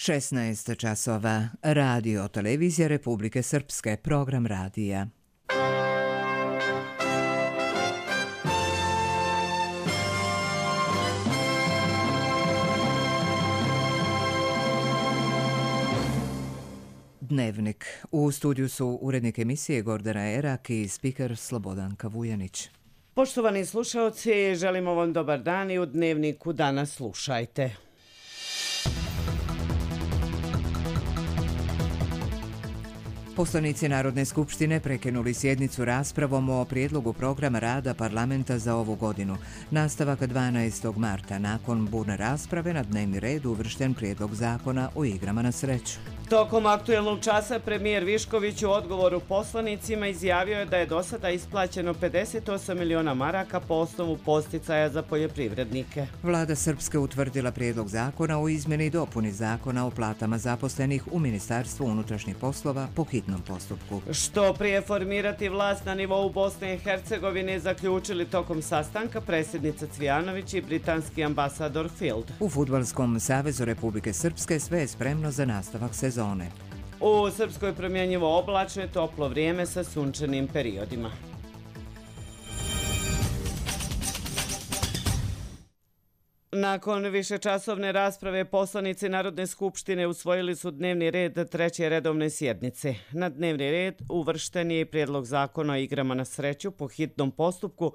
16 časova. Radio Televizija Republike Srpske. Program radija. Dnevnik. U studiju su urednik emisije Gordana Erak i spiker Slobodanka Vujanić. Poštovani slušaoci, želimo vam dobar dan i u Dnevniku danas slušajte. Poslanici Narodne skupštine prekinuli sjednicu raspravom o prijedlogu programa rada parlamenta za ovu godinu. Nastavak 12. marta. Nakon burne rasprave na dnevni red uvršten prijedlog zakona o igrama na sreću. Tokom aktuelnog časa premijer Višković u odgovoru poslanicima izjavio je da je do sada isplaćeno 58 miliona maraka po osnovu podsticaja za poljoprivrednike. Vlada Srpske utvrdila prijedlog zakona o izmjeni i dopuni zakona o platama zaposlenih u Ministarstvu unutrašnjih poslova po hitnom postupku. Što prije formirati vlast na nivou Bosne i Hercegovine zaključili tokom sastanka predsjednica Cvijanović i britanski ambasador Field. U Fudbalskom savezu Republike Srpske sve je spremno za nastavak sezone. U Srpskoj promjenjivo oblačno i toplo vrijeme sa sunčanim periodima. Nakon višečasovne rasprave poslanici Narodne skupštine usvojili su dnevni red treće redovne sjednice. Na dnevni red uvršten je i prijedlog zakona o igrama na sreću po hitnom postupku,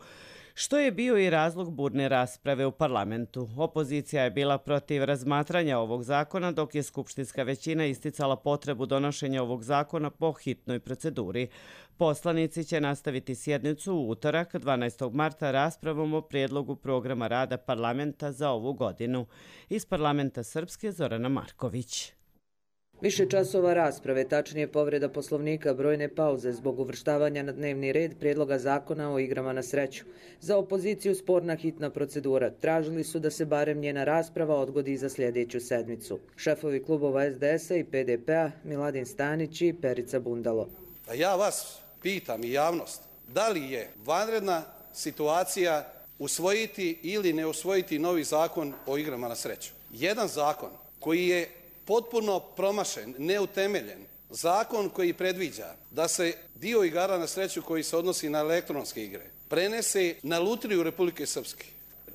što je bio i razlog burne rasprave u parlamentu. Opozicija je bila protiv razmatranja ovog zakona, dok je skupštinska većina isticala potrebu donošenja ovog zakona po hitnoj proceduri. Poslanici će nastaviti sjednicu u utorak 12. marta raspravom o prijedlogu programa rada parlamenta za ovu godinu. Iz parlamenta Srpske Zorana Marković. Više časova rasprave, tačnije povreda poslovnika, brojne pauze zbog uvrštavanja na dnevni red prijedloga zakona o igrama na sreću. Za opoziciju sporna hitna procedura. Tražili su da se barem njena rasprava odgodi za sljedeću sedmicu. Šefovi klubova SDS-a i PDP-a Miladin Stanić i Perica Bundalo. Ja vas pitam i javnost, da li je vanredna situacija usvojiti ili ne usvojiti novi zakon o igrama na sreću? Jedan zakon koji je potpuno promašen, neutemeljen, zakon koji predviđa da se dio igara na sreću koji se odnosi na elektronske igre prenese na Lutriju Republike Srpske.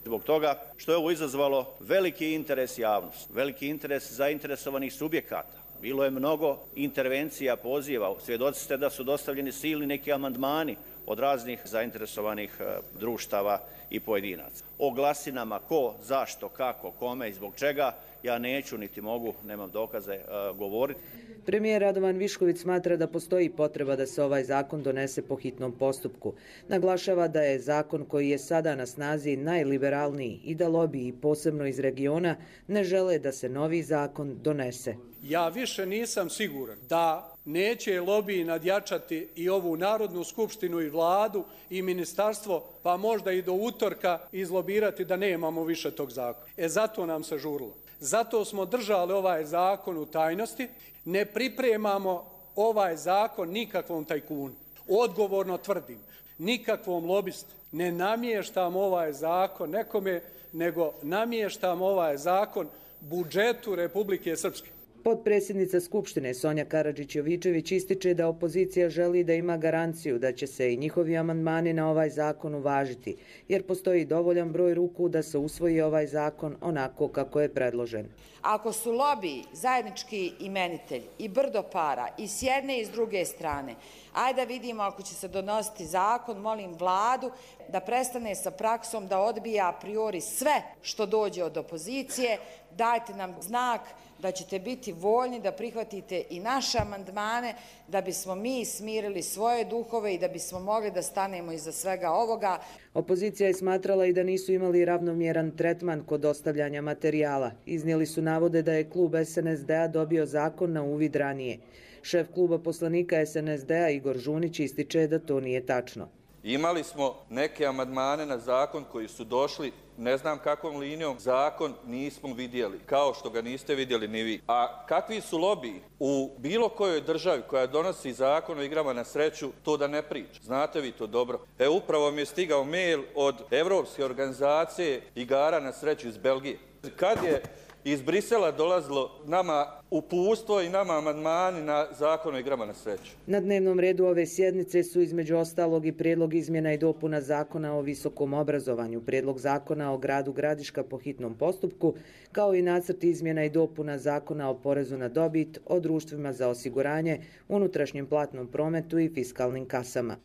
Zbog toga što je ovo izazvalo veliki interes javnosti, veliki interes zainteresovanih subjekata. Bilo je mnogo intervencija, poziva, svjedoci ste da su dostavljeni silni neki amandmani od raznih zainteresovanih društava i pojedinaca. O glasinama ko, zašto, kako, kome i zbog čega ja neću niti mogu, nemam dokaze, govoriti. Premijer Radovan Višković smatra da postoji potreba da se ovaj zakon donese po hitnom postupku. Naglašava da je zakon koji je sada na snazi najliberalniji i da lobiji, posebno iz regiona, ne žele da se novi zakon donese. Ja više nisam siguran da neće lobiji nadjačati i ovu Narodnu skupštinu i vladu i ministarstvo, pa možda i do utorka izlobirati da nemamo više tog zakona. Zato nam se žurilo. Zato smo držali ovaj zakon u tajnosti. Ne pripremamo ovaj zakon nikakvom tajkunu. Odgovorno tvrdim, nikakvom lobistu. Ne namještam ovaj zakon nekome, nego namještam ovaj zakon budžetu Republike Srpske. Potpredsjednica Skupštine Sonja Karadžić-Jovičević ističe da opozicija želi da ima garanciju da će se i njihovi amandmani na ovaj zakon uvažiti, jer postoji dovoljan broj ruku da se usvoji ovaj zakon onako kako je predložen. Ako su lobiji zajednički imenitelj i brdo para i s jedne i s druge strane, ajde da vidimo ako će se donositi zakon, molim vladu da prestane sa praksom da odbija a priori sve što dođe od opozicije, dajte nam znak da ćete biti voljni da prihvatite i naše amandmane da bismo mi smirili svoje duhove i da bismo mogli da stanemo iza svega ovoga. Opozicija je smatrala i da nisu imali ravnomjeran tretman kod dostavljanja materijala. Iznijeli su navode da je klub SNSD-a dobio zakon na uvid ranije. Šef kluba poslanika SNSD-a Igor Žunić ističe da to nije tačno. Imali smo neke amandmane na zakon koji su došli, ne znam kakvom linijom, zakon nismo vidjeli, kao što ga niste vidjeli ni vi. A kakvi su lobiji u bilo kojoj državi koja donosi zakon o igrama na sreću, to da ne priča. Znate vi to dobro. Upravo mi je stigao mail od Evropske organizacije igara na sreću iz Belgije. Kad je iz Brisela dolazilo nama uputstvo i nama amandmani na zakon o igrama na sreću. Na dnevnom redu ove sjednice su između ostalog i prijedlog izmjena i dopuna zakona o visokom obrazovanju, prijedlog zakona o gradu Gradiška po hitnom postupku, kao i nacrt izmjena i dopuna zakona o porezu na dobit, o društvima za osiguranje, unutrašnjem platnom prometu i fiskalnim kasama.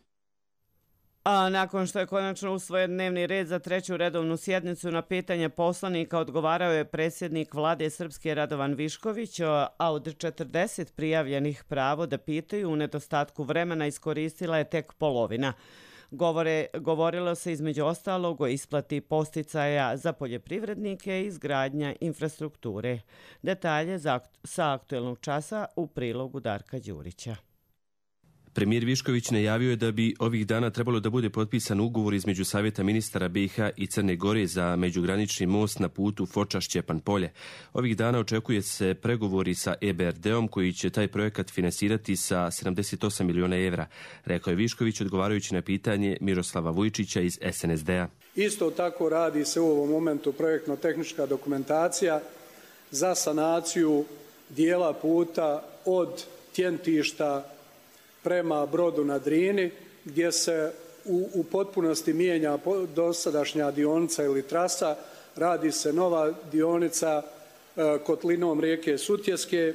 A nakon što je konačno usvojen dnevni red za treću redovnu sjednicu, na pitanje poslanika odgovarao je predsjednik vlade Srpske Radovan Višković, a od 40 prijavljenih pravo da pitaju u nedostatku vremena iskoristila je tek polovina. Govorilo se između ostalog o isplati posticaja za poljoprivrednike i izgradnja infrastrukture. Detalje sa aktuelnog časa u prilogu Darka Đurića. Premijer Višković najavio je da bi ovih dana trebalo da bude potpisan ugovor između Savjeta ministara BiH i Crne Gore za međugranični most na putu Foča-Šćepan Polje. Ovih dana očekuje se pregovori sa EBRD-om koji će taj projekat finansirati sa 78 miliona evra, rekao je Višković odgovarajući na pitanje Miroslava Vujčića iz SNSD-a. Isto tako radi se u ovom momentu projektno-tehnička dokumentacija za sanaciju dijela puta od Tjentišta prema Brodu na Drini, gdje se u potpunosti mijenja dosadašnja dionica ili trasa, radi se nova dionica kotlinom rijeke Sutjeske,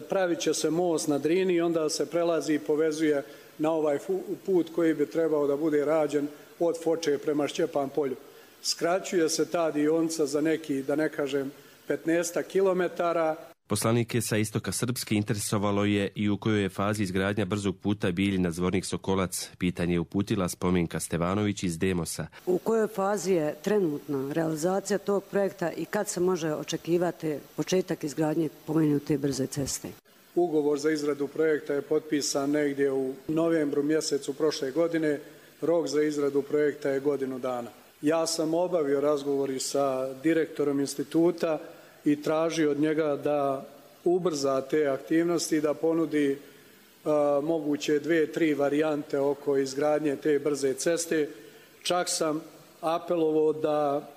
pravit će se most na Drini i onda se prelazi i povezuje na ovaj put koji bi trebao da bude rađen od Foče prema Šćepan Polju. Skraćuje se ta dionica za neki, da ne kažem, 15 kilometara. Poslanike sa istoka Srpske interesovalo je i u kojoj je fazi izgradnja brzog puta Bijeljina Zvornik Sokolac. Pitanje je uputila Spomenka Stevanović iz Demosa. U kojoj fazi je trenutno realizacija tog projekta i kad se može očekivati početak izgradnje pomenute brze ceste? Ugovor za izradu projekta je potpisan negdje u novembru mjesecu prošle godine. Rok za izradu projekta je godinu dana. Ja sam obavio razgovori sa direktorom instituta i traži od njega da ubrza te aktivnosti, da ponudi moguće 2-3 varijante oko izgradnje te brze ceste. Čak sam apelovao da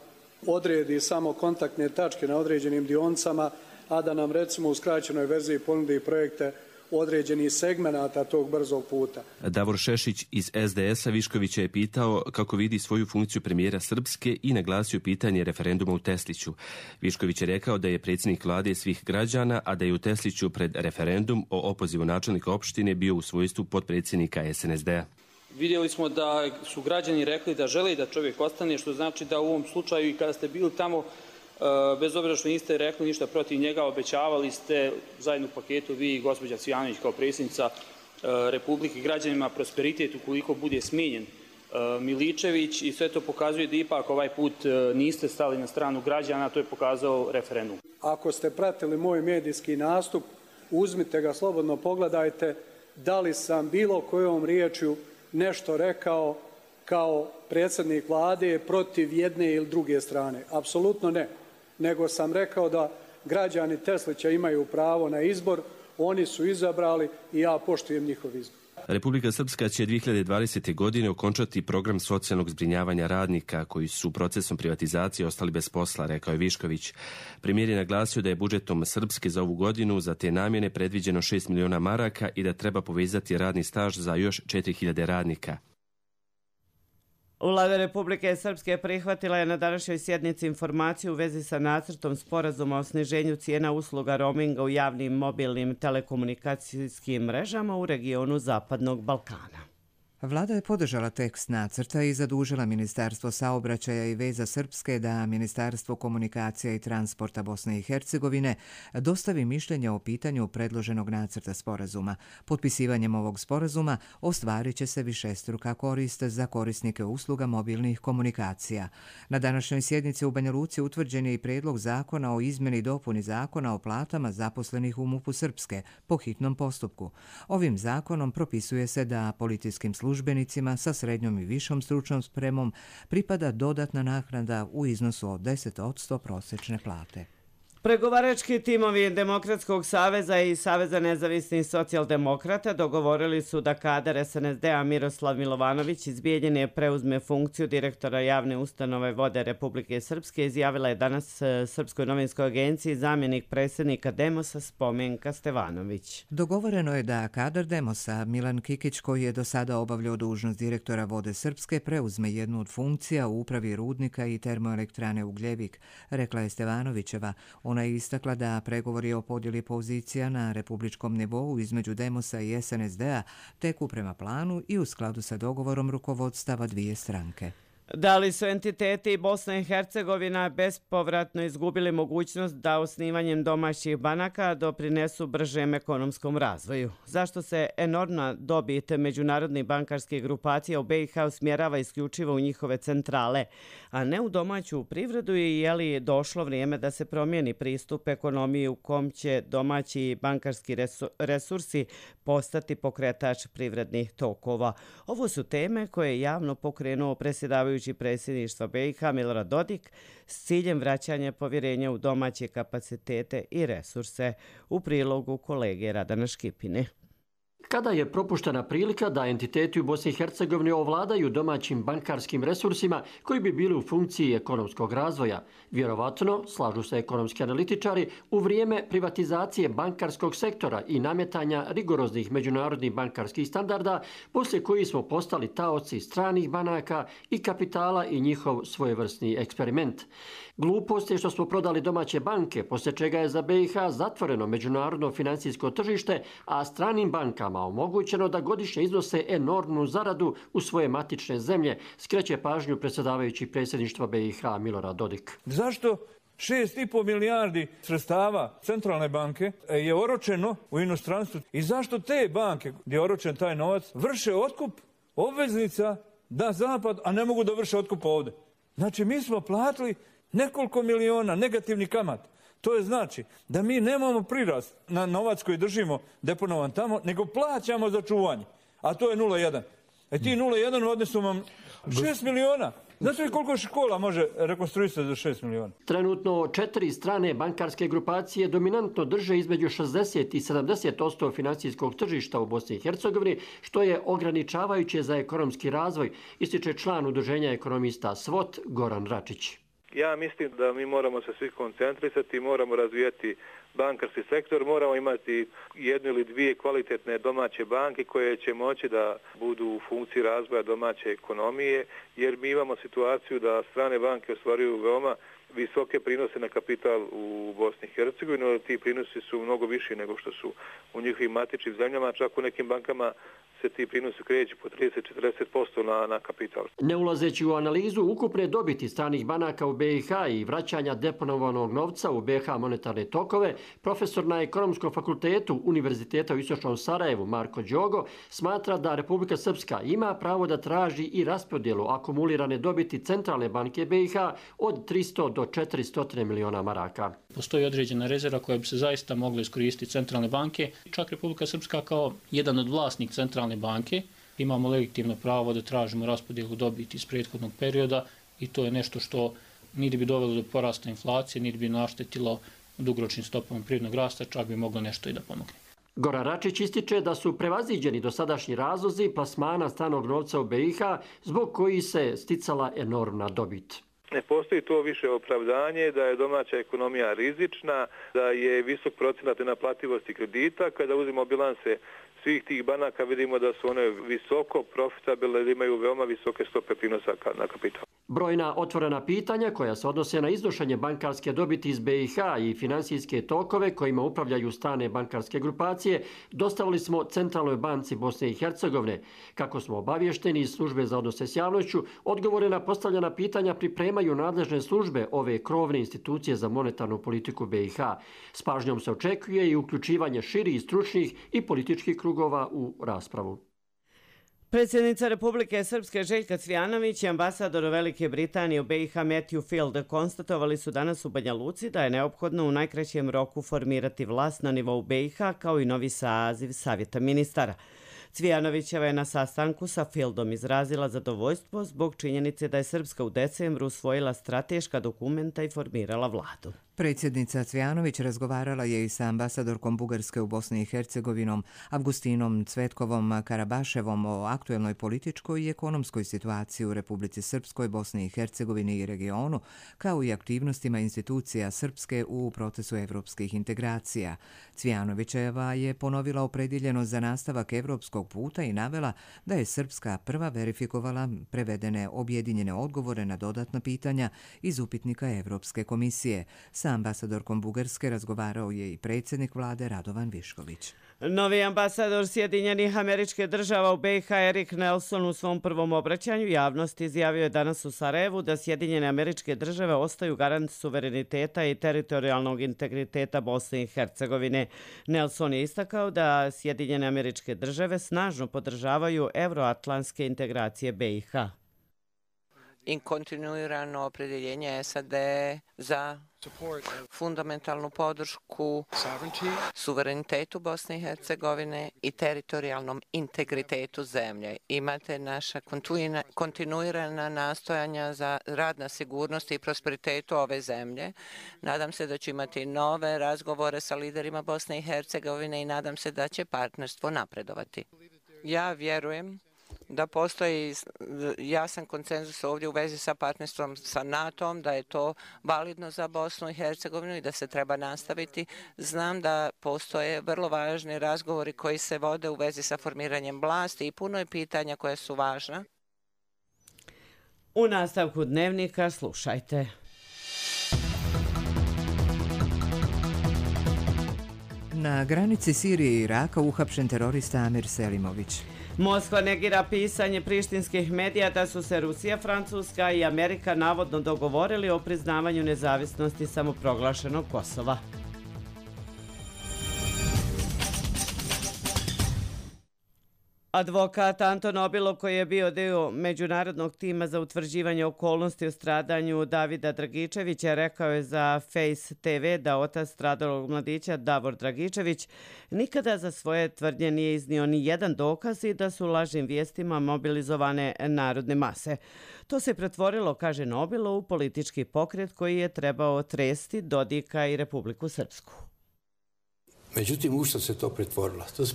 odredi samo kontaktne tačke na određenim dionicama, a da nam recimo u skraćenoj verziji ponudi projekte određenih segmenata tog brzog puta. Davor Šešić iz SDS-a Viškovića je pitao kako vidi svoju funkciju premijera Srpske i naglasio pitanje referenduma u Tesliću. Višković je rekao da je predsjednik vlade svih građana, a da je u Tesliću pred referendum o opozivu načelnika opštine bio u svojstvu potpredsjednika SNSD-a. Vidjeli smo da su građani rekli da žele da čovjek ostane, što znači da u ovom slučaju i kada ste bili tamo, bez obzira što niste rekli ništa protiv njega, obećavali ste zajedno u paketu vi i gospođa Cvijanović kao predsjednica Republike građanima prosperitet ukoliko bude smijenjen Miličević i sve to pokazuje da ipak ovaj put niste stali na stranu građana, to je pokazao referendum. Ako ste pratili moj medijski nastup, uzmite ga slobodno, pogledajte da li sam bilo kojom riječju nešto rekao kao predsjednik vlade protiv jedne ili druge strane. Apsolutno ne. Nego sam rekao da građani Teslića imaju pravo na izbor, oni su izabrali i ja poštujem njihov izbor. Republika Srpska će 2020. godine okončati program socijalnog zbrinjavanja radnika koji su procesom privatizacije ostali bez posla, rekao je Višković. Premijer je naglasio da je budžetom Srpske za ovu godinu za te namjene predviđeno 6 miliona maraka i da treba povezati radni staž za još 4.000 radnika. Vlada Republike Srpske prihvatila je na današnjoj sjednici informaciju u vezi sa nacrtom sporazuma o sniženju cijena usluga roaminga u javnim mobilnim telekomunikacijskim mrežama u regionu Zapadnog Balkana. Vlada je podržala tekst nacrta i zadužila Ministarstvo saobraćaja i veza Srpske da Ministarstvo komunikacija i transporta Bosne i Hercegovine dostavi mišljenje o pitanju predloženog nacrta sporazuma. Potpisivanjem ovog sporazuma ostvarit će se višestruka korist za korisnike usluga mobilnih komunikacija. Na današnjoj sjednici u Banja Luci utvrđen je i prijedlog zakona o izmjeni i dopuni zakona o platama zaposlenih u MUP-u Srpske po hitnom postupku. Ovim zakonom propisuje se da policijskim službenicima sa srednjom i višom stručnom spremom pripada dodatna naknada u iznosu od 10% prosječne plate. Pregovarački timovi Demokratskog saveza i Saveza nezavisnih socijaldemokrata dogovorili su da kadar SNSD-a Miroslav Milovanović iz Bijeljine preuzme funkciju direktora javne ustanove Vode Republike Srpske, izjavila je danas Srpskoj novinskoj agenciji zamjenik predsjednika Demosa Spomenka Stevanović. Dogovoreno je da kadar Demosa Milan Kikić, koji je do sada obavljao dužnost direktora Vode Srpske, preuzme jednu od funkcija u upravi rudnika i termoelektrane Ugljevik, rekla je Stevanovićeva. Ona je istakla da pregovori o podjeli pozicija na republičkom nivou između Demosa i SNSD-a teku prema planu i u skladu sa dogovorom rukovodstava dvije stranke. Da li su entiteti Bosna i Hercegovina bespovratno izgubili mogućnost da osnivanjem domaćih banaka doprinesu bržem ekonomskom razvoju? Zašto se enormna dobit međunarodnih bankarskih grupacija u BiH usmjerava isključivo u njihove centrale, a ne u domaću privredu, i je li došlo vrijeme da se promijeni pristup ekonomiji u kom će domaći bankarski resursi postati pokretač privrednih tokova? Ovo su teme koje je javno pokrenuo predsjedavajući predsjedništva BiH Milorad Dodik s ciljem vraćanja povjerenja u domaće kapacitete i resurse, u prilogu kolege Radana Škipine. Kada je propuštena prilika da entiteti u Bosni i Hercegovini ovladaju domaćim bankarskim resursima koji bi bili u funkciji ekonomskog razvoja? Vjerovatno, slažu se ekonomski analitičari, u vrijeme privatizacije bankarskog sektora i nametanja rigoroznih međunarodnih bankarskih standarda, poslije koji smo postali taoci stranih banaka i kapitala i njihov svojevrsni eksperiment. Glupost je što smo prodali domaće banke, poslije čega je za BiH zatvoreno međunarodno financijsko tržište, a stranim bankama omogućeno da godišnje iznose enormnu zaradu u svoje matične zemlje, skreće pažnju predsjedavajući predsjedništva BiH Milorad Dodik. Zašto 6,5 milijardi sredstava centralne banke je oročeno u inostranstvu i zašto te banke gdje je oročen taj novac vrše otkup obveznica na zapad, a ne mogu da vrše otkup ovdje? Znači, mi smo platili nekoliko miliona negativni kamat. To je znači da mi nemamo prirast na novac koji držimo deponovan tamo, nego plaćamo za čuvanje. A to je 0,1. Ti 0,1 odnesu vam 6 miliona. Znate li koliko škola može rekonstruisati za 6 miliona? Trenutno 4 strane bankarske grupacije dominantno drže između 60 i 70% financijskog tržišta u Bosni i Hercegovini, što je ograničavajuće za ekonomski razvoj, ističe član udruženja ekonomista SWOT Goran Račić. Ja mislim da mi moramo se svi koncentrisati, moramo razvijati bankarski sektor, moramo imati jednu ili dvije kvalitetne domaće banke koje će moći da budu u funkciji razvoja domaće ekonomije, jer mi imamo situaciju da strane banke ostvaruju veoma visoke prinose na kapital u Bosni i Hercegovini, ali ti prinosi su mnogo viši nego što su u njihovim matičnim zemljama, čak u nekim bankama se ti prinosi kreću po 30-40% na kapital. Ne ulazeći u analizu ukupne dobiti stranih banaka u BiH i vraćanja deponovanog novca u BiH monetarne tokove, profesor na Ekonomskom fakultetu Univerziteta u Istočnom Sarajevu Marko Đogo smatra da Republika Srpska ima pravo da traži i raspodjelu akumulirane dobiti Centralne banke BiH od 300 do 400 miliona maraka. Postoji određena rezerva koja bi se zaista mogla iskoristiti centralne banke. Čak Republika Srpska kao jedan od vlasnik centralne banke imamo legitimno pravo da tražimo raspodjelu dobiti iz prethodnog perioda i to je nešto što niti bi dovelo do porasta inflacije, niti bi naštetilo dugoročnim stopama privrednog rasta, čak bi moglo nešto i da pomogne. Goran Račić ističe da su prevaziđeni dosadašnji razlozi plasmana stranog novca u BiH zbog koji se sticala enormna dobit. Ne postoji to više opravdanje da je domaća ekonomija rizična, da je visok procenat nenaplativosti kredita. Kada uzmemo bilanse svih tih banaka vidimo da su one visoko profitabilne, da imaju veoma visoke stope prinosa na kapital. Brojna otvorena pitanja koja se odnose na iznošenje bankarske dobiti iz BiH i financijske tokove kojima upravljaju strane bankarske grupacije dostavili smo Centralnoj banci Bosne i Hercegovine. Kako smo obavješteni iz službe za odnose s javnošću, odgovore na postavljena pitanja pripremaju nadležne službe ove krovne institucije za monetarnu politiku BiH. S pažnjom se očekuje i uključivanje širih stručnih i političkih krugova u raspravu. Predsjednica Republike Srpske Željka Cvijanović i ambasador Velike Britanije u BiH Matthew Field konstatovali su danas u Banja Luci da je neophodno u najkraćem roku formirati vlast na nivou BiH kao i novi saziv Savjeta ministara. Cvijanovićeva je na sastanku sa Fieldom izrazila zadovoljstvo zbog činjenice da je Srpska u decembru usvojila strateška dokumenta i formirala vladu. Predsjednica Cvjanović razgovarala je i sa ambasadorkom Bugarske u Bosni i Hercegovinom, Avgustinom Cvetkovom Karabaševom o aktuelnoj političkoj i ekonomskoj situaciji u Republici Srpskoj, Bosni i Hercegovini i regionu, kao i aktivnostima institucija Srpske u procesu evropskih integracija. Cvjanovićeva je ponovila opredjeljenost za nastavak evropskog puta i navela da je Srpska prva verifikovala prevedene objedinjene odgovore na dodatna pitanja iz upitnika Evropske komisije. Sa ambasadorkom Bugarske razgovarao je i predsjednik vlade Radovan Višković. Novi ambasador Sjedinjenih Američkih Država u BiH Erik Nelson u svom prvom obraćanju javnosti izjavio je danas u Sarajevu da Sjedinjene Američke Države ostaju garant suvereniteta i teritorijalnog integriteta Bosne i Hercegovine. Nelson je istakao da Sjedinjene Američke Države snažno podržavaju euroatlantske integracije BiH. I kontinuirano opredjeljenje SAD za fundamentalnu podršku suverenitetu Bosne i Hercegovine i teritorijalnom integritetu zemlje. Imate naša kontinuirana nastojanja za rad na sigurnosti i prosperitetu ove zemlje. Nadam se da ću imati nove razgovore sa liderima Bosne i Hercegovine i nadam se da će partnerstvo napredovati. Ja vjerujem da postoji jasan konsenzus ovdje u vezi sa partnerstvom sa NATO-om, da je to validno za Bosnu i Hercegovinu i da se treba nastaviti. Znam da postoje vrlo važni razgovori koji se vode u vezi sa formiranjem vlasti i puno je pitanja koja su važna. U nastavku dnevnika slušajte. Na granici Sirije i Iraka uhapšen terorista Amir Selimović. Moskva negira pisanje prištinskih medija da su se Rusija, Francuska i Amerika navodno dogovorili o priznavanju nezavisnosti samoproglašenog Kosova. Advokat Anton Obilov, koji je bio dio međunarodnog tima za utvrđivanje okolnosti o stradanju Davida Dragičevića, rekao je za Face TV da otac stradalog mladića Davor Dragičević nikada za svoje tvrdnje nije iznio ni jedan dokaz i da su lažnim vijestima mobilizovane narodne mase. To se pretvorilo, kaže Obilov, u politički pokret koji je trebao tresti Dodika i Republiku Srpsku. Međutim, u što se to pretvorilo? To se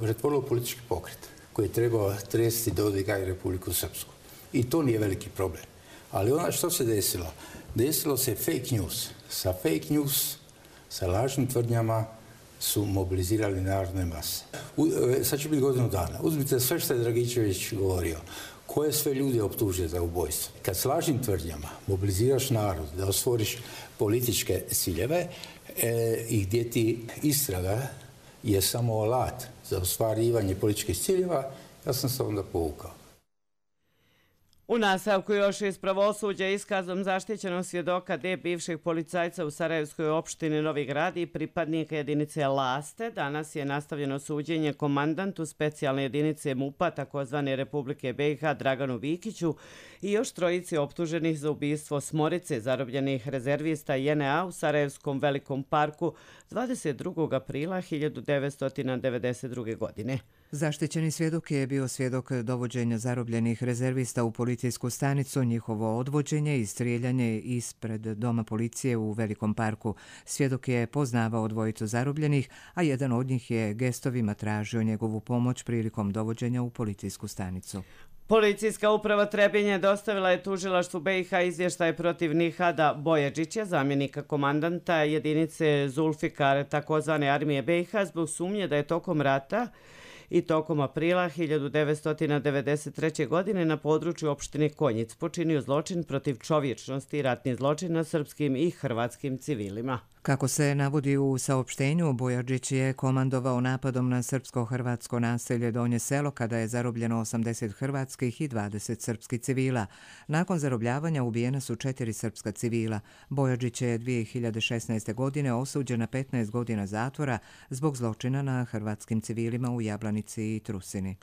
pretvorilo u politički pokret koji je trebao tresti Dodika i Republiku Srpsku. I to nije veliki problem. Ali ono što se desilo? Desilo se fake news. Sa fake news, sa lažnim tvrdnjama su mobilizirali narodne mase. Sad će biti godinu dana. Uzmite sve što je Dragičević govorio. Koje sve ljude optuže za ubojstvo? Kad s lažnim tvrdnjama mobiliziraš narod da ostvoriš političke ciljeve, i gdje ti istraga je samo alat za ostvarivanje političkih ciljeva, ja sam se onda povukao. U nastavku još iz pravosuđa iskazom zaštićenog svjedoka D bivšeg policajca u Sarajevskoj opštini Novi Grad i pripadnika jedinice Laste. Danas je nastavljeno suđenje komandantu specijalne jedinice MUP-a takozvane Republike BiH Draganu Vikiću i još trojici optuženih za ubistvo smorice zarobljenih rezervista JNA u Sarajevskom velikom parku 22. aprila 1992. godine. Zaštićeni svjedok je bio svjedok dovođenja zarobljenih rezervista u policijsku stanicu, njihovo odvođenje i strijeljanje ispred doma policije u Velikom parku. Svjedok je poznavao dvojicu zarobljenih, a jedan od njih je gestovima tražio njegovu pomoć prilikom dovođenja u policijsku stanicu. Policijska uprava Trebinje dostavila je tužilaštvu BiH izvještaj protiv Nihada Bojađića, zamjenika komandanta jedinice Zulfikar takozvane armije BiH, zbog sumnje da je tokom rata i tokom aprila 1993. godine na području opštine Konjic počinio zločin protiv čovječnosti i ratni zločin na srpskim i hrvatskim civilima. Kako se navodi u saopštenju, Bojađić je komandovao napadom na srpsko-hrvatsko naselje Donje Selo kada je zarobljeno 80 hrvatskih i 20 srpskih civila. Nakon zarobljavanja ubijena su 4 srpska civila. Bojađić je 2016. godine osuđen na 15 godina zatvora zbog zločina na hrvatskim civilima u Jablanici i Trusini.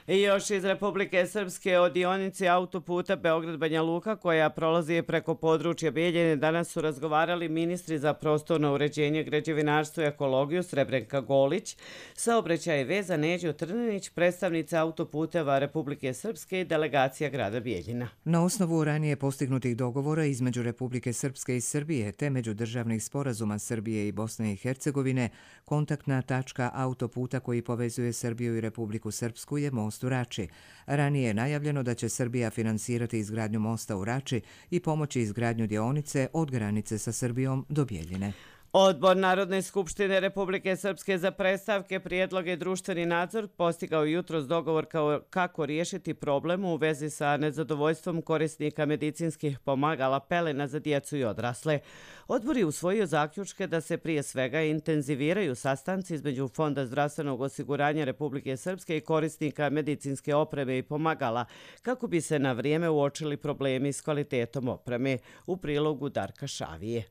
I još iz Republike Srpske o dionici autoputa Beograd-Banja Luka koja prolazi preko područja Bijeljine danas su razgovarali ministri za prostorno uređenje, građevinarstvo i ekologiju Srebrenka Golić, saobraćaj i veza Neđo Trninić, predstavnica autoputeva Republike Srpske i delegacija grada Bijeljina. Na osnovu ranije postignutih dogovora između Republike Srpske i Srbije te međudržavnih sporazuma Srbije i Bosne i Hercegovine, kontaktna tačka autoputa koji povezuje Srbiju i Republiku Srpsku je most u Rači. Ranije je najavljeno da će Srbija finansirati izgradnju mosta u Rači i pomoći izgradnju dionice od granice sa Srbijom do Bijeljine. Odbor Narodne skupštine Republike Srpske za predstavke, prijedloge i društveni nadzor postigao jutros dogovor kako riješiti problem u vezi sa nezadovoljstvom korisnika medicinskih pomagala pelena za djecu i odrasle. Odbor je usvojio zaključke da se prije svega intenziviraju sastanci između Fonda zdravstvenog osiguranja Republike Srpske i korisnika medicinske opreme i pomagala kako bi se na vrijeme uočili problemi s kvalitetom opreme. U prilogu Darka Šavije.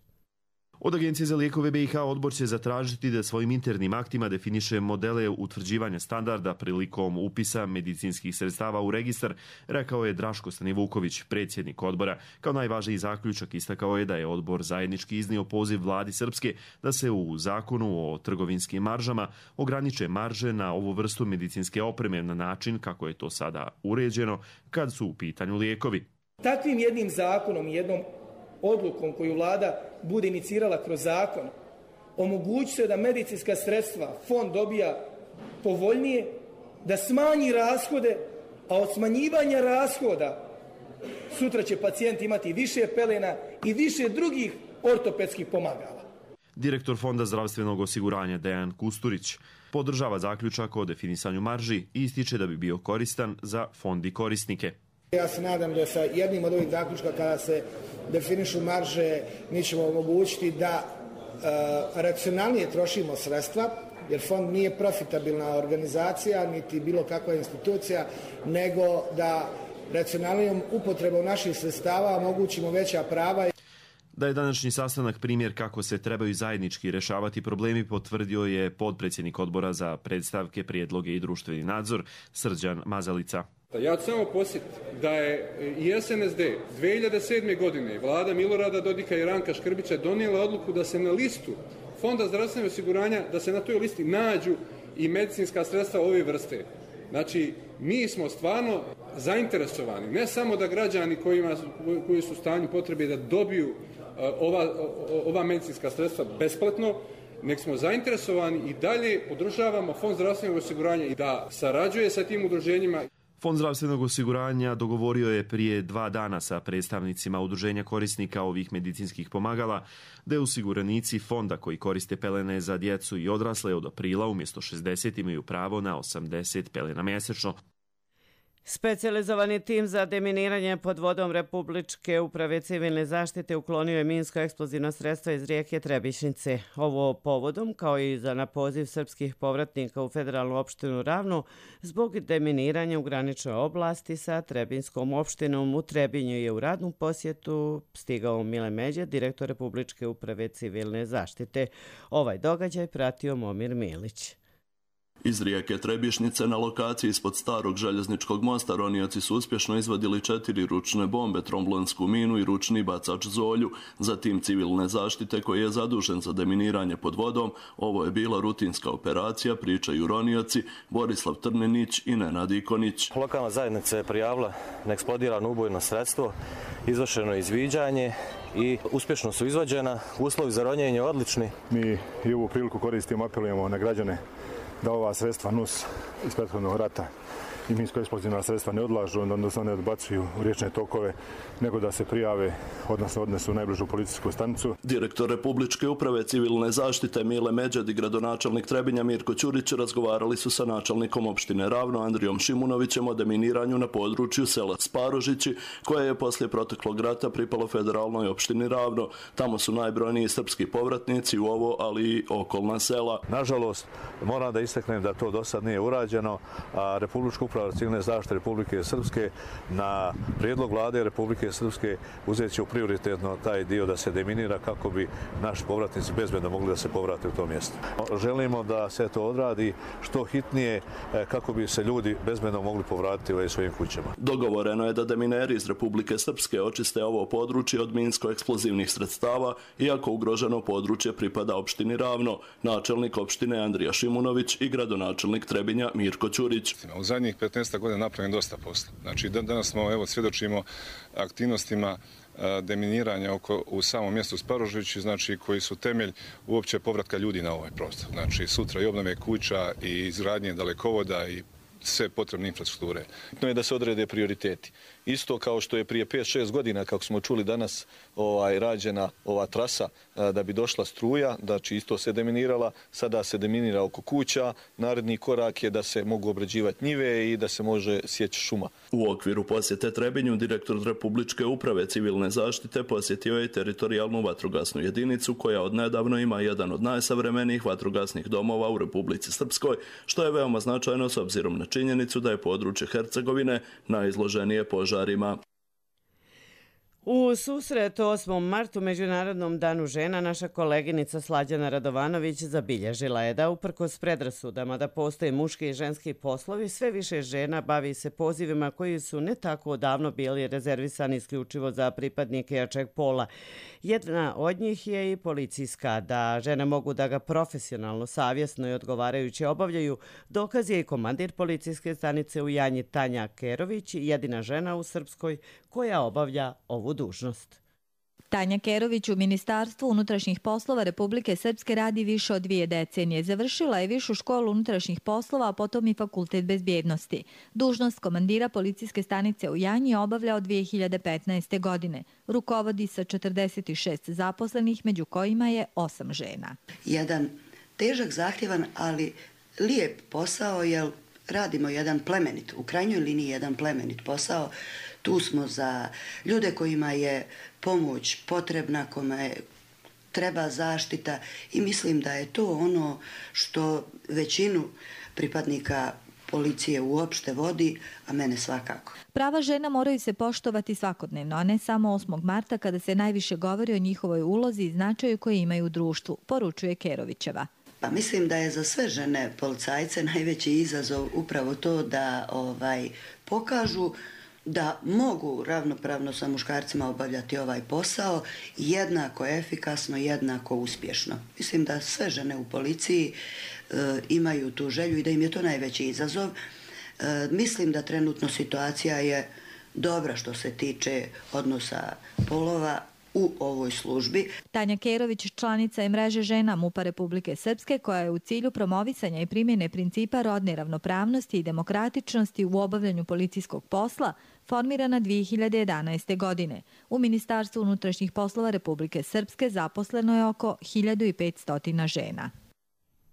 Od Agencije za lijekove BiH odbor će zatražiti da svojim internim aktima definiše modele utvrđivanja standarda prilikom upisa medicinskih sredstava u registar, rekao je Draško Stanivuković, predsjednik odbora. Kao najvažniji zaključak istakao je da je odbor zajednički iznio poziv vladi Srpske da se u zakonu o trgovinskim maržama ograniče marže na ovu vrstu medicinske opreme na način kako je to sada uređeno kad su u pitanju lijekovi. Takvim jednim zakonom i jednom odlukom koju vlada bude inicirala kroz zakon, omogući se da medicinska sredstva fond dobija povoljnije, da smanji rashode, a od smanjivanja rashoda sutra će pacijent imati više pelena i više drugih ortopedskih pomagala. Direktor Fonda zdravstvenog osiguranja Dejan Kusturić podržava zaključak o definisanju marži i ističe da bi bio koristan za fond i korisnike. Ja se nadam da sa jednim od ovih zaključka kada se definišu marže mi ćemo omogućiti da racionalnije trošimo sredstva, jer fond nije profitabilna organizacija niti bilo kakva institucija, nego da racionalnijom upotrebom naših sredstava omogućimo veća prava. Da je današnji sastanak primjer kako se trebaju zajednički rješavati problemi, potvrdio je potpredsjednik odbora za predstavke, prijedloge i društveni nadzor Srđan Mazalica. Ja ću samo posjetiti da je i SNSD 2007. godine vlada Milorada Dodika i Ranka Škrbića donijela odluku da se na listu Fonda zdravstvenog osiguranja, da se na toj listi nađu i medicinska sredstva ove vrste. Znači, mi smo stvarno zainteresovani, ne samo da građani koji su u stanju potrebe da dobiju ova medicinska sredstva besplatno, nek smo zainteresovani i dalje podržavamo Fond zdravstvenog osiguranja i da sarađuje sa tim udruženjima. Fond zdravstvenog osiguranja dogovorio je prije 2 dana sa predstavnicima udruženja korisnika ovih medicinskih pomagala da osiguranici fonda koji koriste pelene za djecu i odrasle od aprila umjesto 60 imaju pravo na 80 pelena mjesečno. Specijalizovani tim za deminiranje pod vodom Republičke uprave civilne zaštite uklonio je minsko-eksplozivna sredstva iz rijeke Trebišnice. Ovo povodom, kao i za na poziv srpskih povratnika u federalnu opštinu Ravno, zbog deminiranja u graničnoj oblasti sa Trebinskom opštinom u Trebinju je u radnu posjetu stigao Mile Međa, direktor Republičke uprave civilne zaštite. Ovaj događaj pratio Momir Milić. Iz rijeke Trebišnice na lokaciji ispod starog željezničkog mosta ronioci su uspješno izvadili 4 ručne bombe, tromblonsku minu i ručni bacač zolju. Zatim civilne zaštite koji je zadužen za deminiranje pod vodom. Ovo je bila rutinska operacija, pričaju ronioci Borislav Trninić i Nenad Ikonić. Lokalna zajednica je prijavila neeksplodirano ubojno sredstvo, izvršeno je izviđanje i uspješno su izvađena. Uslovi za ronjenje odlični. Mi i ovu priliku koristimo, apelujemo na građane da ova sredstva NUS iz prethodnog rata i minsko-eksplozivna sredstva ne odlažu, odnosno ne odbacuju u riječne tokove, nego da se prijave, odnosno odnesu u najbližu policijsku stanicu. Direktor Republičke uprave civilne zaštite Mile Međed i gradonačelnik Trebinja Mirko Ćurić razgovarali su sa načelnikom opštine Ravno Andrijom Šimunovićem o deminiranju na području sela Sparožići, koje je poslije proteklog rata pripalo federalnoj opštini Ravno. Tamo su najbrojniji srpski povratnici u ovo, ali i okolna sela. Nažalost, moram da istaknem da to do sad nije urađeno, a Republička uprava uprava civilne zaštite Republike Srpske na prijedlog vlade Republike Srpske uzet će u prioritetno taj dio da se deminira kako bi naši povratnici bezbedno mogli da se povrate u to mjesto. Želimo da se to odradi što hitnije kako bi se ljudi bezbedno mogli povratiti u svojim kućama. Dogovoreno je da demineri iz Republike Srpske očiste ovo područje od minsko-eksplozivnih sredstava, iako ugroženo područje pripada opštini Ravno, načelnik opštine Andrija Šimunović i gradonačelnik Trebinja Mirko Ćurić. U zadnjih 15 godina napravljeno dosta posla. Znači, danas smo svjedočimo aktivnostima deminiranja u samom mjestu Sparožići, znači koji su temelj uopće povratka ljudi na ovaj prostor. Znači, sutra i obnove kuća i izgradnje dalekovoda i sve potrebne infrastrukture. Bitno je da se odrede prioriteti. Isto kao što je prije 5-6 godina, kako smo čuli danas, rađena ova trasa da bi došla struja, znači isto se deminirala, sada se deminira oko kuća, naredni korak je da se mogu obrađivati njive i da se može sjeći šuma. U okviru posjete Trebinju, direktor Republičke uprave civilne zaštite posjetio je teritorijalnu vatrogasnu jedinicu koja odnedavno ima jedan od najsavremenijih vatrogasnih domova u Republici Srpskoj, što je veoma značajno s obzirom na činjenicu da je područje Hercegovine najizloženije požarima. U susret 8. martu, Međunarodnom danu žena, naša koleginica Slađana Radovanović zabilježila je da uprkos predrasudama da postoje muški i ženski poslovi, sve više žena bavi se pozivima koji su ne tako davno bili rezervisani isključivo za pripadnike jačeg pola. Jedna od njih je i policijska, da žene mogu da ga profesionalno, savjesno i odgovarajuće obavljaju. Dokaz je i komandir policijske stanice u Janji Tanja Kerović, jedina žena u Srpskoj koja obavlja ovu dužnost. Tanja Kerović u Ministarstvu unutrašnjih poslova Republike Srpske radi više od 2 decenije. Završila je Višu školu unutrašnjih poslova, a potom i Fakultet bezbjednosti. Dužnost komandira policijske stanice u Janji obavlja od 2015. godine. Rukovodi sa 46 zaposlenih, među kojima je 8 žena. Jedan težak, zahtjevan, ali lijep posao, jer radimo jedan plemenit, u krajnjoj liniji jedan plemenit posao. Tu smo za ljude kojima je pomoć potrebna, kome treba zaštita i mislim da je to ono što većinu pripadnika policije uopšte vodi, a mene svakako. Prava žena moraju se poštovati svakodnevno, a ne samo 8. marta kada se najviše govori o njihovoj ulozi i značaju koje imaju u društvu, poručuje Kerovićeva. Pa mislim da je za sve žene policajce najveći izazov upravo to da pokažu da mogu ravnopravno sa muškarcima obavljati ovaj posao jednako efikasno, jednako uspješno. Mislim da sve žene u policiji imaju tu želju i da im je to najveći izazov. Mislim da trenutno situacija je dobra što se tiče odnosa polova u ovoj službi. Tanja Kerović, članica je mreže žena MUP-a Republike Srpske, koja je u cilju promovisanja i primjene principa rodne ravnopravnosti i demokratičnosti u obavljanju policijskog posla formirana 2011. godine. U Ministarstvu unutrašnjih poslova Republike Srpske zaposleno je oko 1500 žena.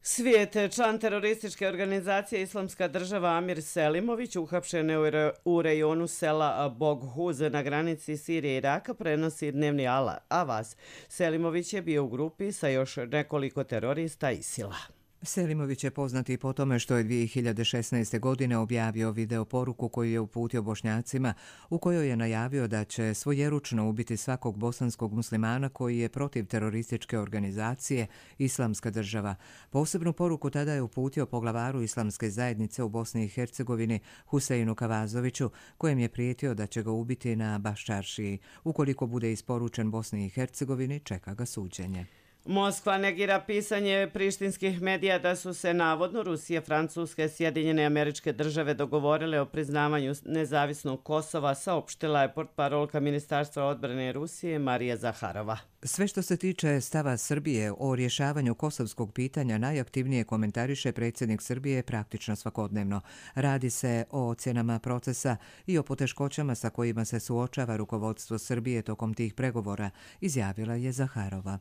Svijet, član terorističke organizacije Islamska država Amir Selimović, uhapšen je u rejonu sela Boghuz na granici Sirije i Iraka, prenosi dnevni avaz. Selimović je bio u grupi sa još nekoliko terorista ISIL-a. Selimović je poznati po tome što je 2016. godine objavio video poruku koju je uputio Bošnjacima, u kojoj je najavio da će svojeručno ubiti svakog bosanskog muslimana koji je protiv terorističke organizacije Islamska država. Posebnu poruku tada je uputio poglavaru Islamske zajednice u Bosni i Hercegovini Huseinu Kavazoviću, kojem je prijetio da će ga ubiti na Baščaršiji. Ukoliko bude isporučen Bosni i Hercegovini, čeka ga suđenje. Moskva negira pisanje prištinskih medija da su se navodno Rusija, Francuska i Sjedinjene Američke Države dogovorile o priznavanju nezavisnog Kosova, saopštila je portparolka Ministarstva odbrane Rusije Marija Zaharova. Sve što se tiče stava Srbije o rješavanju kosovskog pitanja najaktivnije komentariše predsjednik Srbije praktično svakodnevno. Radi se o ocjenama procesa i o poteškoćama sa kojima se suočava rukovodstvo Srbije tokom tih pregovora, izjavila je Zaharova.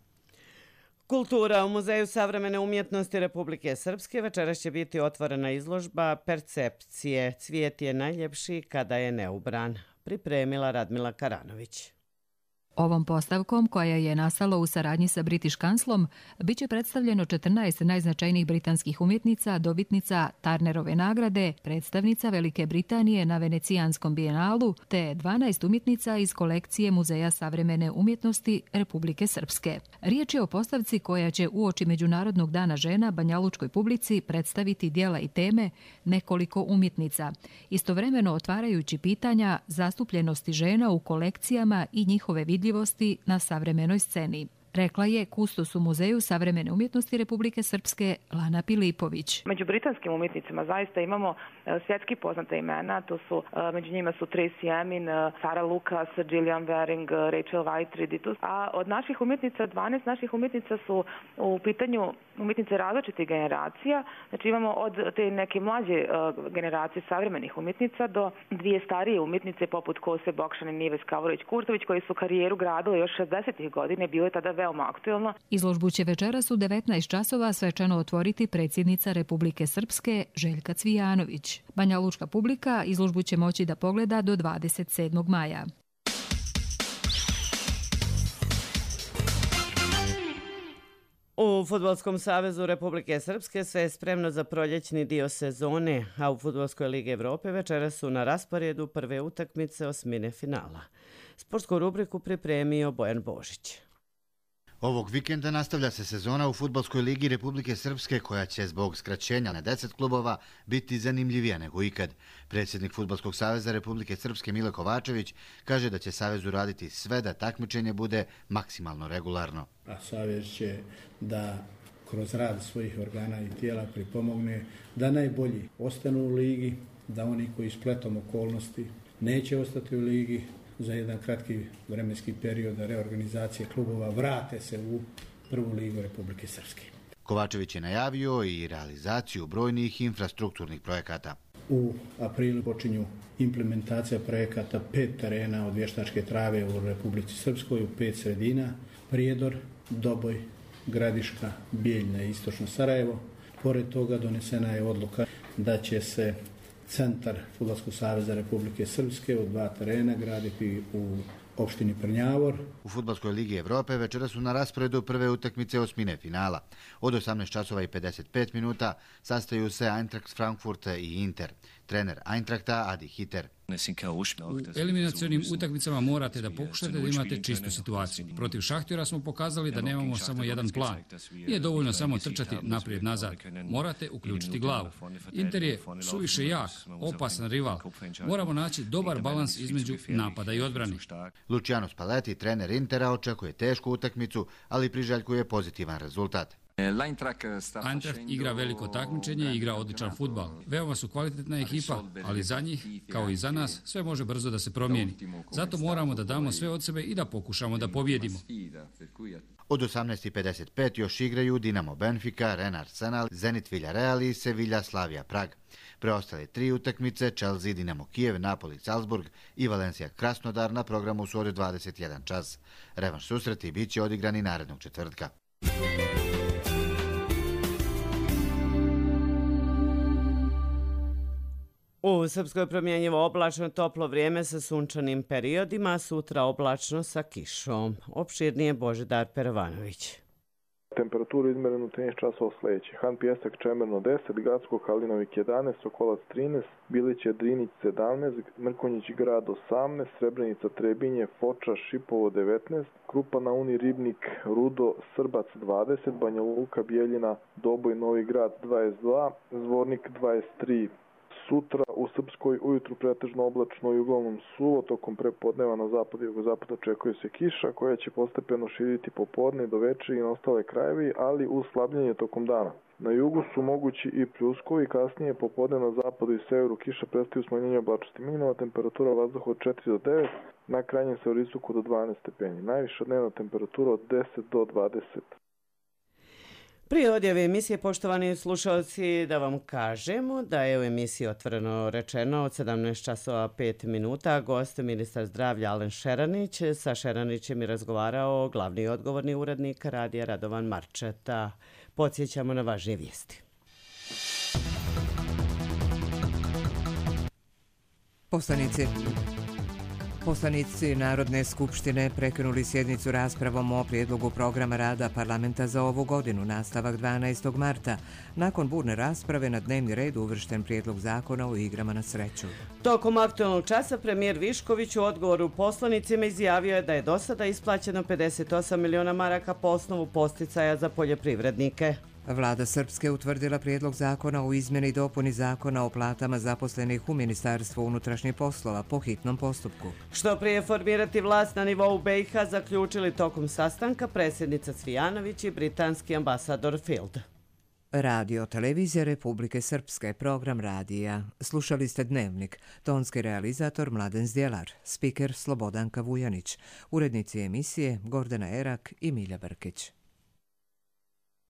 Kultura. U Muzeju savremene umjetnosti Republike Srpske večeras će biti otvorena izložba Percepcije. Cvijet je najljepši kada je neubran. Pripremila Radmila Karanović. Ovom postavkom, koja je nastala u saradnji sa British Councilom, bit će predstavljeno 14 najznačajnijih britanskih umjetnica, dobitnica Turnerove nagrade, predstavnica Velike Britanije na Venecijanskom bijenalu, te 12 umjetnica iz kolekcije Muzeja savremene umjetnosti Republike Srpske. Riječ je o postavci koja će uoči Međunarodnog dana žena banjalučkoj publici predstaviti dijela i teme nekoliko umjetnica, istovremeno otvarajući pitanja zastupljenosti žena u kolekcijama i njihove vidljivosti na savremenoj sceni. Rekla je kustos u Muzeju savremene umjetnosti Republike Srpske Lana Pilipović. Među britanskim umjetnicima zaista imamo svjetski poznate imena, među njima su Tracy Emin, Sarah Lucas, Gillian Wearing, Rachel Whiteread, a od naših umjetnica, 12 naših umjetnica su u pitanju umjetnice različitih generacija. Znači imamo od te neke mlađe generacije savremenih umjetnica do dvije starije umjetnice poput Kose Bokšan i Nive Skavorović-Kurtović koji su karijeru gradile još 60. godine, bilo je tada veoma aktuelno. Izložbu će večeras u 19 časova svečano otvoriti predsjednica Republike Srpske Željka Cvijanović. Banjalučka publika izložbu će moći da pogleda do 27. maja. U Fudbalskom savezu Republike Srpske sve je spremno za proljećni dio sezone, a u Fudbalskoj ligi Evrope večeras su na rasporedu prve utakmice osmine finala. Sportsku rubriku pripremio Bojan Božić. Ovog vikenda nastavlja se sezona u Fudbalskoj ligi Republike Srpske koja će zbog skraćenja na 10 klubova biti zanimljivija nego ikad. Predsjednik Fudbalskog saveza Republike Srpske Mile Kovačević kaže da će savezu raditi sve da takmičenje bude maksimalno regularno. A savez će da kroz rad svojih organa i tijela pripomogne da najbolji ostanu u ligi, da oni koji spletom okolnosti neće ostati u ligi, za jedan kratki vremenski period reorganizacije klubova vrate se u prvu ligu Republike Srpske. Kovačević je najavio i realizaciju brojnih infrastrukturnih projekata. U aprilu počinju implementacija projekata 5 terena od vještačke trave u Republici Srpskoj u 5 sredina, Prijedor, Doboj, Gradiška, Bijeljna i Istočno Sarajevo. Pored toga donesena je odluka da će se centar Fudbalskog saveza Republike Srpske od 2 terena graditi u opštini Prnjavor. U Fudbalskoj ligi Evrope večera su na rasporedu prve utakmice osmine finala. Od 18 časova i 55 minuta sastaju se Eintracht Frankfurt i Inter. Trener Eintrachta Adi Hiter. U eliminacionim utakmicama morate da pokušate da imate čistu situaciju. Protiv Šahtjora smo pokazali da nemamo samo jedan plan. Nije dovoljno samo trčati naprijed-nazad. Morate uključiti glavu. Inter je suviše jak, opasan rival. Moramo naći dobar balans između napada i odbrane. Luciano Spalletti, trener Intera, očekuje tešku utakmicu, ali priželjkuje pozitivan rezultat. Eintracht igra veliko takmičenje i igra odličan fudbal. Veoma su kvalitetna ekipa, ali za njih, kao i za nas, sve može brzo da se promijeni. Zato moramo da damo sve od sebe i da pokušamo da pobjedimo. Od 18:55 još igraju Dinamo Benfica, Rennes Arsenal, Zenit Villarreal i Sevilla Slavia Prag. Preostale 3 utakmice, Chelsea, Dinamo Kijev, Napoli, Salzburg i Valencia Krasnodar na programu su od 21 čas. Revanš susreti bit će odigrani narednog četvrtka. U Srpskoj promjenjivo oblačno toplo vrijeme sa sunčanim periodima, sutra oblačno sa kišom. Opširnije Božidar Perovanović. Temperaturu izmerenu 13 časova sljedeće. Han Pijesak Čemerno 10, Gacko Kalinovik 11, Sokolac 13, Biliće Drinić 17, Mrkonjić Grad 18, Srebrenica Trebinje, Foča Šipovo 19, Krupa na Uni Ribnik, Rudo Srbac 20, Banja Luka Bijeljina, Doboj Novi Grad 22, Zvornik 23. Sutra u Srpskoj ujutru pretežno oblačno i uglavnom suvo, tokom prepodneva na zapad i jugozapad očekuje se kiša koja će postepeno širiti popodne do večeri i na ostale krajevi, ali uz slabljenje tokom dana. Na jugu su mogući i pljuskovi, kasnije popodne na zapadu i severu kiša prestaju smanjenje oblačnosti. Minimalna temperatura vazduha od 4 do 9, na krajnjem severistoku do 12 stepeni. Najviša dnevna temperatura od 10 do 20. Prije odjave emisije, poštovani slušalci, da vam kažemo da je u emisiji Otvoreno rečeno od 17 časova 5 minuta gost ministar zdravlja Alen Šeranić. Sa Šeranićem je razgovarao glavni i odgovorni urednik radija Radovan Marčeta. Podsjećamo na važnije vijesti. Poslanici. Poslanici Narodne skupštine prekinuli sjednicu raspravom o prijedlogu programa rada parlamenta za ovu godinu, nastavak 12. marta. Nakon burne rasprave na dnevni red uvršten prijedlog zakona o igrama na sreću. Tokom aktualnog časa premijer Višković u odgovoru poslanicima izjavio je da je do sada isplaćeno 58 miliona maraka po osnovu posticaja za poljoprivrednike. Vlada Srpske utvrdila prijedlog zakona o izmjeni i dopuni zakona o platama zaposlenih u Ministarstvu unutrašnjih poslova po hitnom postupku. Što prije formirati vlast na nivou BiH zaključili tokom sastanka predsjednica Cvijanović i britanski ambasador Field. Radio Televizija Republike Srpske, program radija. Slušali ste Dnevnik, tonski realizator Mladen Zdjelar, spiker Slobodanka Vujanić, urednici emisije Gordana Erak i Milja Brkić.